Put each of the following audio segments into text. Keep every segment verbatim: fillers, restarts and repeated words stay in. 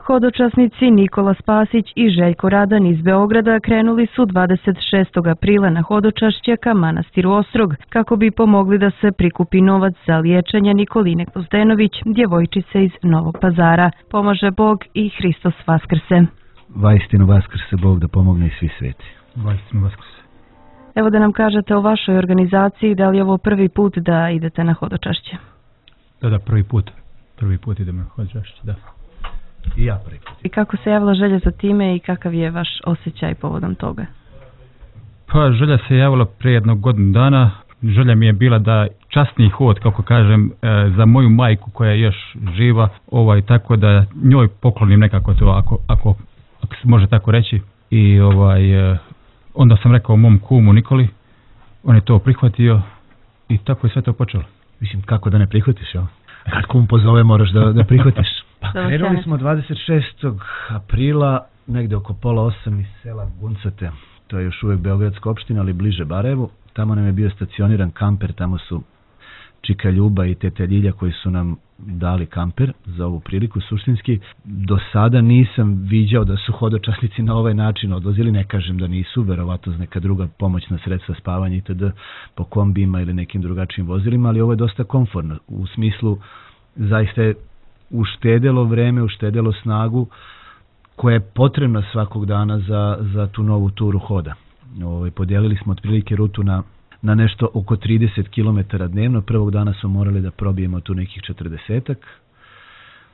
Hodočasnici Nikola Spasić i Željko Radan iz Beograda krenuli su dvadeset šestog aprila na hodočašće ka manastiru Ostrog, kako bi pomogli da se prikupi novac za liječenje Nikoline Gvozdenović, djevojčice iz Novog Pazara. Pomaže Bog i Hristos Vaskrse. Vaistinu Vaskrse Bog, da pomogne i svi sveti. Vaistinu Vaskrse. Evo da nam kažete o vašoj organizaciji, da li je ovo prvi put da idete na hodočašće? Da, da, prvi put. Prvi put idemo na hodočašće, da. I ja prvi put. I kako se javila želja za time i kakav je vaš osjećaj povodom toga? Pa želja se javila prije jednog godinu dana. Želja mi je bila da časni hod, kako kažem, za moju majku koja je još živa, ovaj, tako da njoj poklonim nekako to, ako, ako, ako se može tako reći. I ovaj, onda sam rekao mom kumu Nikoli, on je to prihvatio i tako je sve to počelo. Mislim, kako da ne prihvatiš, jel? Kad kum pozove, moraš da, da prihvatiš. Pa krenuli smo dvadeset šestog aprila, negde oko pola osam iz sela Guncate. To je još uvijek beogradska opština, ali bliže Barajevu. Tamo nam je bio stacioniran kamper, tamo su Čika Ljuba i Tete Ljilja koji su nam dali kamper za ovu priliku suštinski. Do sada nisam viđao da su hodočasnici na ovaj način odlazili, ne kažem da nisu, verovatno neka druga pomoćna sredstva spavanja itd. Po kombijima ili nekim drugačijim vozilima, ali ovo je dosta komfortno. U smislu, zaista je uštedelo vreme, uštedelo snagu koja je potrebna svakog dana za, za tu novu turu hoda. Ovo, podijelili smo otprilike rutu na na nešto oko trideset kilometara dnevno. Prvog dana smo morali da probijemo tu nekih četrdesetak.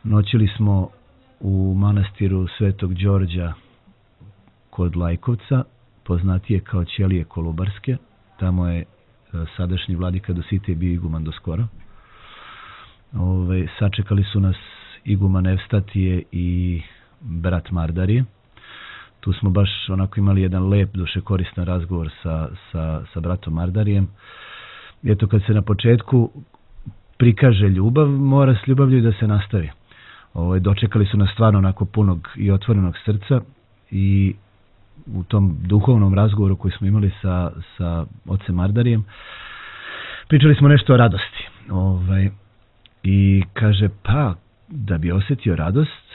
Noćili smo u manastiru Svetog Đorđa kod Lajkovca, poznatije kao Ćelije Kolubarske. Tamo je sadašnji vladika Dositej bio iguman do skoro. Ove, sačekali su nas iguman Evstatije i brat Mardarije. Tu smo baš onako imali jedan lep, duše koristan razgovor sa, sa, sa bratom Mardarijem. Eto, kad se na početku prikaže ljubav, mora s ljubavlju da se nastavi. Ovo, dočekali su nas stvarno onako punog i otvorenog srca i u tom duhovnom razgovoru koji smo imali sa, sa ocem Mardarijem, pričali smo nešto o radosti. Ovaj, i kaže, pa, da bi osjetio radost,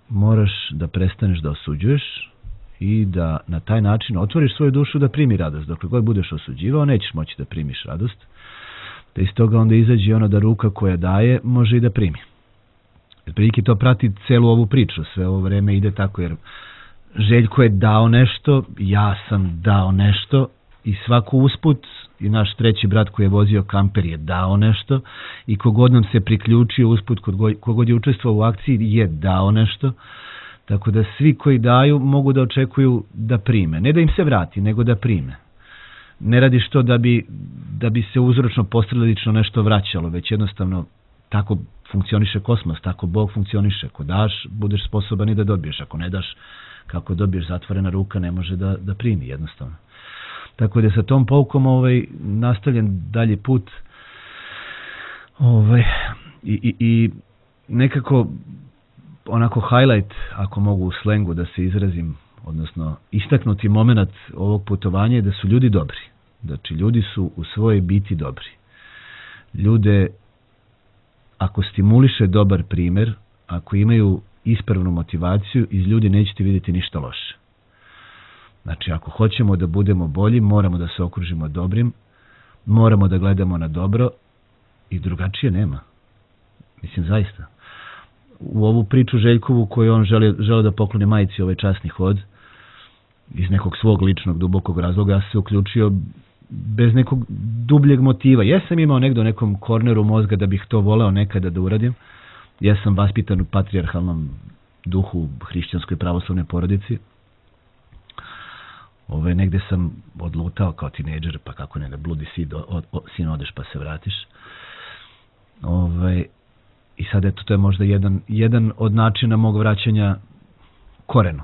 moraš da prestaneš da osuđuješ i da na taj način otvoriš svoju dušu da primi radost. Dokle god budeš osuđivao, nećeš moći da primiš radost. Da iz toga onda izađe ono da ruka koja daje može i da primi. Jer prilike to prati celu ovu priču. Sve ovo vreme ide tako, jer Željko je dao nešto, ja sam dao nešto i svako usput, i naš treći brat koji je vozio kamper je dao nešto i kogod nam se priključio usput, kogod je učestvovao u akciji je dao nešto. Tako da svi koji daju mogu da očekuju da prime. Ne da im se vrati, nego da prime. Ne radiš to da bi, da bi se uzročno posledično nešto vraćalo, već jednostavno tako funkcioniše kosmos, tako Bog funkcioniše. Ako daš, budeš sposoban i da dobiješ. Ako ne daš, kako dobiješ, zatvorena ruka ne može da, da primi jednostavno. Tako da sa tom poukom ovaj, nastavljen dalji put ovaj, i, i, i nekako onako highlight, ako mogu u slengu da se izrazim, odnosno istaknuti moment ovog putovanja je da su ljudi dobri. Znači, ljudi su u svojoj biti dobri. Ljude, ako stimuliše dobar primjer, ako imaju ispravnu motivaciju, iz ljudi nećete vidjeti ništa loše. Znači, ako hoćemo da budemo bolji, moramo da se okružimo dobrim, moramo da gledamo na dobro i drugačije nema. Mislim, zaista. U ovu priču Željkovu koju on žele, žele da pokloni majici ovaj časni hod, iz nekog svog ličnog dubokog razloga, ja se uključio bez nekog dubljeg motiva. Ja sam imao negdje u nekom korneru mozga da bih to voleo nekada da uradim. Ja sam vaspitan u patrijarhalnom duhu hrišćanskoj pravoslavnoj porodici. Ove, negde sam odlutao kao tinejdžer, pa kako ne, da bludi sin, od, od, sin odeš pa se vratiš. Ove, I sad eto, to je možda jedan, jedan od načina mog vraćanja korenu.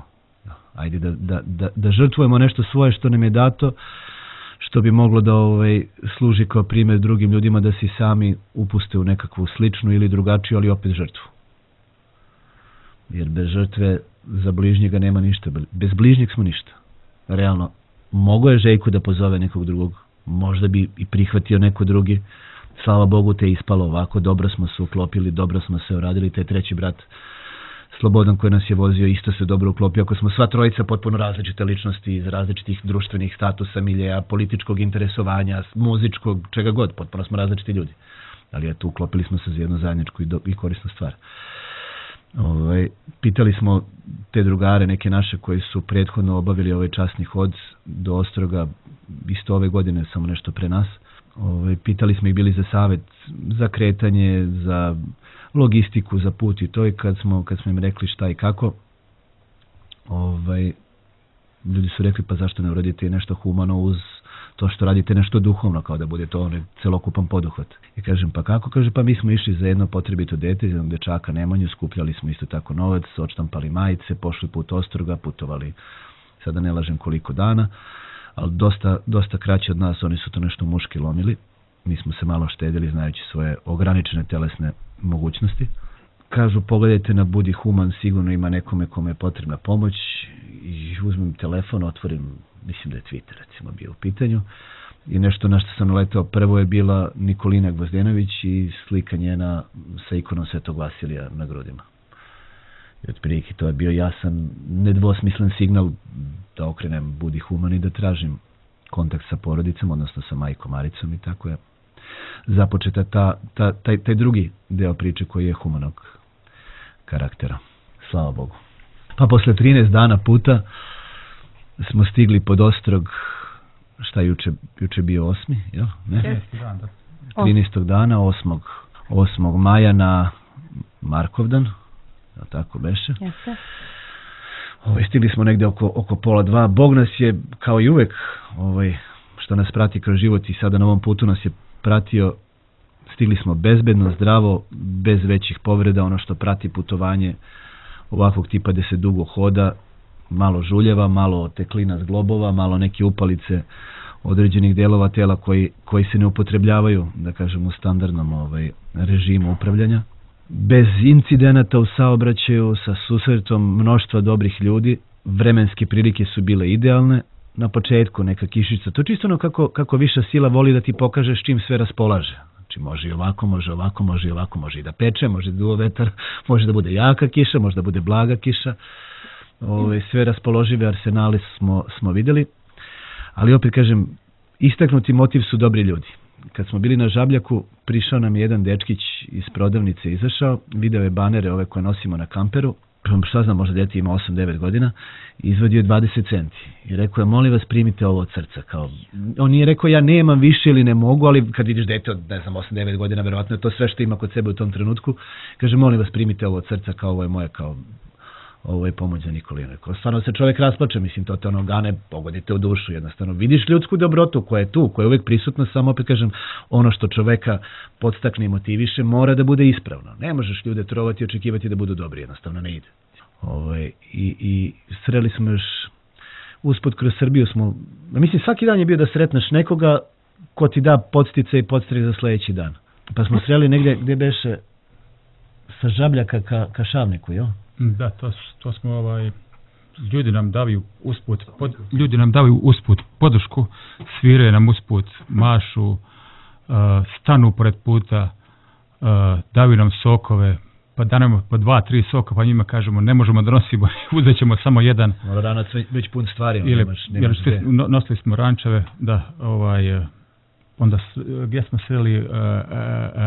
Ajde da, da, da, da žrtvujemo nešto svoje što nam je dato, što bi moglo da ovaj, služi kao primjer drugim ljudima da se sami upuste u nekakvu sličnu ili drugačiju, ali opet žrtvu. Jer bez žrtve za bližnjega nema ništa. Bez bližnjeg smo ništa. Realno, mogo je Željko da pozove nekog drugog, možda bi i prihvatio neko drugi. Slava Bogu te ispalo ovako, dobro smo se uklopili, dobro smo se uradili, taj treći brat Slobodan koji nas je vozio isto se dobro uklopio. Ako smo sva trojica potpuno različite ličnosti iz različitih društvenih statusa, miljeja, političkog interesovanja, muzičkog, čega god, potpuno smo različiti ljudi. Ali eto, uklopili smo se za jednu zajedničku i, do, i korisnu stvar. Ovaj, pitali smo te drugare, neke naše koji su prethodno obavili ovaj časni hod do Ostroga, isto ove godine, samo nešto pre nas. Ovaj, pitali smo ih bili za savjet, za kretanje, za logistiku, za put i to, i kad smo, kad smo im rekli šta i kako, ovaj, ljudi su rekli pa zašto ne uradite nešto humano uz to što radite nešto duhovno, kao da bude to onaj celokupan poduhvat. I kažem pa kako? Kaže pa mi smo išli za jedno potrebito dete, za jednog dečaka Nemanju, skupljali smo isto tako novac, odštampali majice, pošli put Ostroga, putovali, sada ne lažem koliko dana, ali dosta, dosta kraće od nas, oni su to nešto muški lomili. Mi smo se malo štedili znajući svoje ograničene telesne mogućnosti. Kažu pogledajte na Budi Human, sigurno ima nekome kome je potrebna pomoć, i uzmem telefon, otvorim, mislim da je Twitter recimo bio u pitanju, i nešto na što sam naletao prvo je bila Nikolina Gvozdenović i slika njena sa ikonom Svetog Vasilija na grudima. I otprilike to je bio jasan, nedvosmislen signal da okrenem Budi Human i da tražim kontakt sa porodicom, odnosno sa majkom Maricom, i tako je započeta ta, ta, taj, taj drugi deo priče koji je humanog karaktera. Slava Bogu. Pa posle trinaest dana puta smo stigli pod Ostrog, šta juče, juče bio osmi, jel? Ne? trinaestog dana, osmog maja na Markovdan, jel tako beše? Jeste. Ovaj, stigli smo negde oko, oko pola dva. Bog nas je, kao i uvek, ovaj, što nas prati kroz život i sada na ovom putu nas je pratio, stigli smo bezbedno, zdravo, bez većih povreda, ono što prati putovanje ovakvog tipa gde se dugo hoda, malo žuljeva, malo teklina s globova, malo neke upalice određenih delova tela koji, koji se ne upotrebljavaju, da kažem, u standardnom ovaj, režimu upravljanja. Bez incidenata u saobraćaju, sa susretom mnoštva dobrih ljudi, vremenske prilike su bile idealne. Na početku neka kišica, to je čisto ono kako, kako viša sila voli da ti pokaže s čim sve raspolaže. Znači može i ovako, može ovako, može i ovako, može i da peče, može da duva vetar, može da bude jaka kiša, može da bude blaga kiša. Ove, sve raspoložive arsenale smo, smo videli, ali opet kažem, istaknuti motiv su dobri ljudi. Kad smo bili na Žabljaku, prišao nam je jedan dečkić iz prodavnice, izašao, video je banere ove koje nosimo na kamperu, šta znam, možda dete ima osam devet godina, izvadio je dvadeset centi i rekao je, molim vas primite ovo od srca. Kao, on nije rekao ja nemam više ili ne mogu, ali kad vidiš dete od ne znam osam devet godina, verovatno je to sve što ima kod sebe u tom trenutku, kaže molim vas primite ovo od srca, kao ovo je moje, kao ovo je pomoć za Nikolinu. Stvarno se čovjek rasplače, mislim, to te ono gane, pogodite u dušu, jednostavno. Vidiš ljudsku dobrotu koja je tu, koja je uvijek prisutna, samo opet kažem, ono što čoveka podstakne i motiviše, mora da bude ispravno. Ne možeš ljude trovati i očekivati da budu dobri, jednostavno ne ide. Ove, i, i sreli smo još, usput kroz Srbiju smo, mislim, svaki dan je bio da sretneš nekoga ko ti da podstice i podstrek za sledeći dan. Pa smo sreli negdje gdje beše sa Žabljaka ka, ka Šavniku, jo? Da, to, to smo ovaj, ljudi nam daju usput, pod, ljudi nam daju usput podršku, sviraju nam usput, mašu, uh, stanu pored puta, uh, daju nam sokove, pa danemo po dva, tri soka, pa njima kažemo ne možemo da nosimo, uzet ćemo samo jedan. Ranac već pun stvari. Ili, nemaš, nemaš jer no, nosili smo rančeve, da, ovaj, onda gdje smo sreli uh, uh,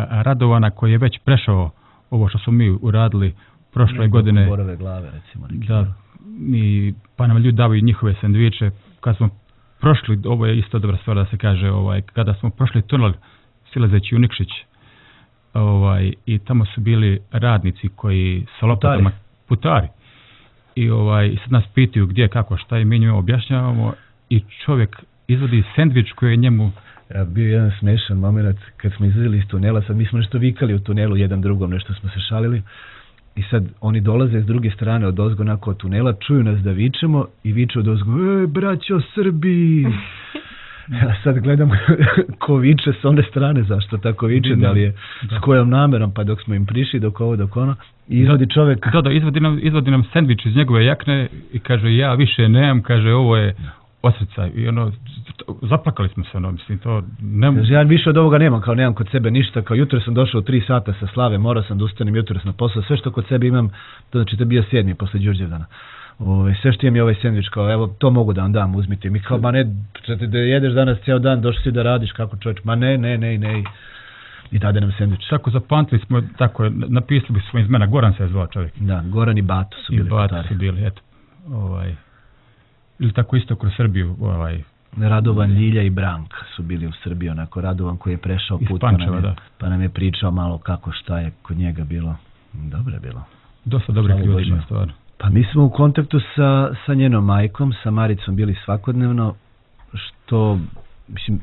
Radovana koji je već prešao ovo što smo mi uradili prošle ne, godine. Borove glave, recimo. Neki. Da, i, pa nam ljudi davaju njihove sendviče. Kad smo prošli, ovo je isto dobra stvar da se kaže, ovaj, kada smo prošli tunel silazeći u Nikšić, ovaj, i tamo su bili radnici koji sa lopatama, putari. I ovaj, sad nas pitaju gdje, kako, šta, i mi njima objašnjavamo i čovjek izvodi sendvič koji je njemu. Ja, bio jedan smešan moment kad smo izlazili iz tunela, sad mi smo nešto vikali u tunelu jedan drugom, nešto smo se šalili. I sad oni dolaze s druge strane od ozgo nakon od tunela, čuju nas da vičemo i viču od ozgo, e, braćo Srbi! Ja sad gledam ko viče s one strane, zašto tako viče, da li je da. S kojom namerom, pa dok smo im prišli, dok ovo, dok ono, i izvodi čovjek. Da, da, izvodi nam, izvodi nam sendvič iz njegove jakne i kaže, ja više nemam, kaže, ovo je, osjećaj i ono, zaplakali smo se, ono, mislim, to ne... Ja više od ovoga nemam, kao nemam kod sebe ništa, kao jutro sam došao u tri sata sa slave, morao sam da ustanem jutro na posao, sve što kod sebe imam, to znači to je bio sedmi posle Đurđevdana. Ove, sve što imam je ovaj sendvič, kao evo, to mogu da vam dam, uzmite. Mi kao, ma ne, da jedeš danas cijel dan, došli si da radiš, kako čovječ, ma ne, ne, ne, ne, i dade nam sendvič. Tako zapamtili smo, tako, napisali smo iz mena, Goran se je zvao čovjek. Da, Goran i Bato su bili. I Bato su bili, eto, ovaj, ili tako isto kroz Srbiju, ovaj, Radovan, Ljilja i Branka su bili u Srbiji, onako Radovan koji je prešao put, Pančeva, pa, nam je, da. pa nam je pričao malo kako šta je kod njega bilo. Dobro je bilo. Dosta dobrih ljudi ima, stvarno. Pa mi smo u kontaktu sa, sa njenom majkom, sa Maricom bili svakodnevno, što, mislim,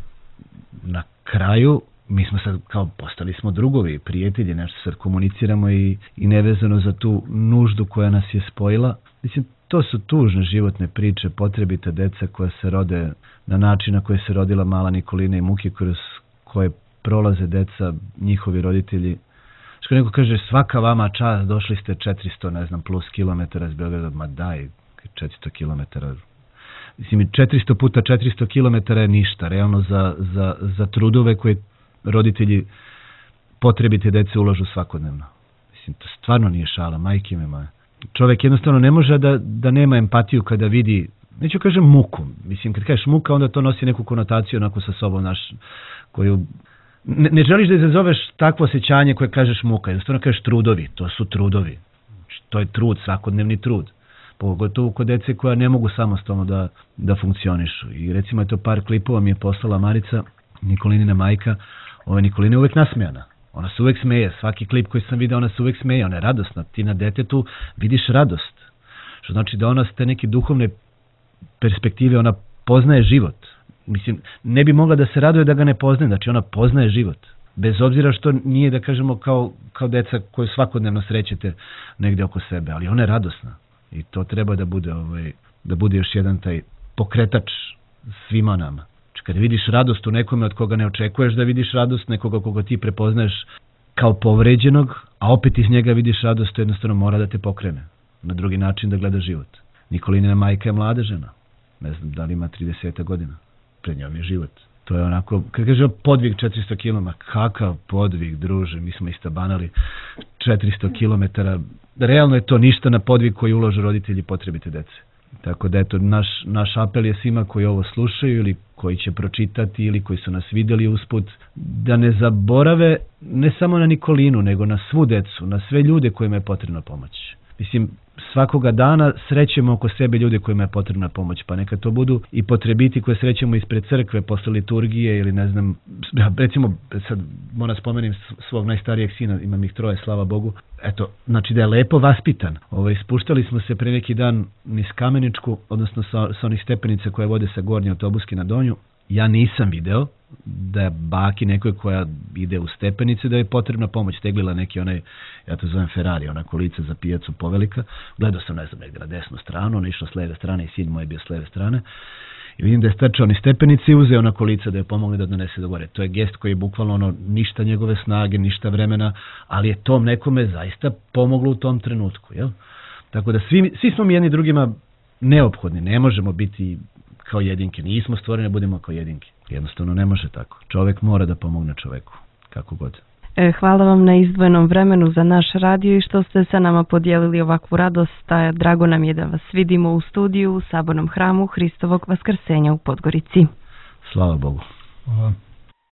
na kraju mi smo sad kao postali smo drugovi, prijatelji, nešto sad komuniciramo i, i nevezano za tu nuždu koja nas je spojila. Mislim, to su tužne životne priče, potrebite deca koja se rode na način na koje se rodila mala Nikolina i muke kroz koje prolaze deca, njihovi roditelji. Što neko kaže, svaka vama čast, došli ste četiristo, ne znam, plus kilometara iz Beograda, ma daj, četiristo kilometara. Mislim, četiristo puta četiristo kilometara je ništa, realno za, za, za trudove koje roditelji potrebite dece ulažu svakodnevno. Mislim, to stvarno nije šala, majke me moje. Čovjek jednostavno ne može da, da nema empatiju kada vidi, neću kažem muku, mislim, kad kažeš muka, onda to nosi neku konotaciju onako sa sobom, naš, koju... Ne, ne želiš da izazoveš takvo osjećanje koje kažeš muka, jednostavno kažeš trudovi, to su trudovi. To je trud, svakodnevni trud. Pogotovo kod dece koja ne mogu samostalno da, da funkcionišu. I recimo je to par klipova mi je poslala Marica, Nikolinina majka. Ova Nikolina je uvek nasmejana. Ona se uvek smeje. Svaki klip koji sam vidio, ona se uvek smeje. Ona je radosna. Ti na detetu vidiš radost. Što znači da ona s te neke duhovne perspektive, ona poznaje život. Mislim, ne bi mogla da se raduje da ga ne poznaje, znači ona poznaje život. Bez obzira što nije, da kažemo, kao, kao deca koju svakodnevno srećete negdje oko sebe, ali ona je radosna. I to treba da bude, ovaj, da bude još jedan taj pokretač svima nama. Znači, kada vidiš radost u nekome od koga ne očekuješ da vidiš radost, nekoga koga ti prepoznaješ kao povređenog, a opet iz njega vidiš radost, to jednostavno mora da te pokrene. Na drugi način da gleda život. Nikolinina majka je mlada žena. Ne znam da li ima trideset godina. Pred njom je život. To je onako, kad kaže podvig četiristo kilometara, kakav podvig, druže, mi smo istabanali četiristo kilometara. Realno je to ništa na podvig koji ulažu roditelji potrebite dece. Tako da eto, naš, naš apel je svima koji ovo slušaju ili koji će pročitati ili koji su nas vidjeli usput, da ne zaborave ne samo na Nikolinu, nego na svu decu, na sve ljude kojima je potrebna pomoć. Mislim, svakoga dana srećemo oko sebe ljude kojima je potrebna pomoć, pa neka to budu i potrebiti koje srećemo ispred crkve, posle liturgije ili ne znam, recimo, sad moram spomenim svog najstarijeg sina, imam ih troje, slava Bogu, eto, znači da je lepo vaspitan. Ovaj, spuštali smo se pre neki dan niz Kameničku, odnosno sa, sa onih stepenica koje vode sa Gornje Autobuske na Donju. Ja nisam video da je baki nekoj koja ide u stepenice da je potrebna pomoć, teglila neki onaj, ja to zovem Ferrari, ona kolica za pijacu povelika. Gledao sam, ne znam, negdje na desnu stranu, ona išla s leve strane i sin moj je bio s leve strane. I vidim da je strčao ni stepenice i uzeo na kolica da je pomogli da donese do gore. To je gest koji je bukvalno ono, ništa njegove snage, ništa vremena, ali je tom nekome zaista pomoglo u tom trenutku. Jel? Tako da svi, svi smo mi jedni drugima neophodni, ne možemo biti kao jedinke, nismo stvoreni da budemo kao jedinke. Jednostavno ne može tako. Čovjek mora da pomogne čoveku, kako god. Hvala vam na izdvojenom vremenu za naš radio i što ste sa nama podijelili ovakvu radost. Drago nam je da vas vidimo u studiju u Sabornom hramu Hristovog Vaskrsenja u Podgorici. Slava Bogu. Hvala.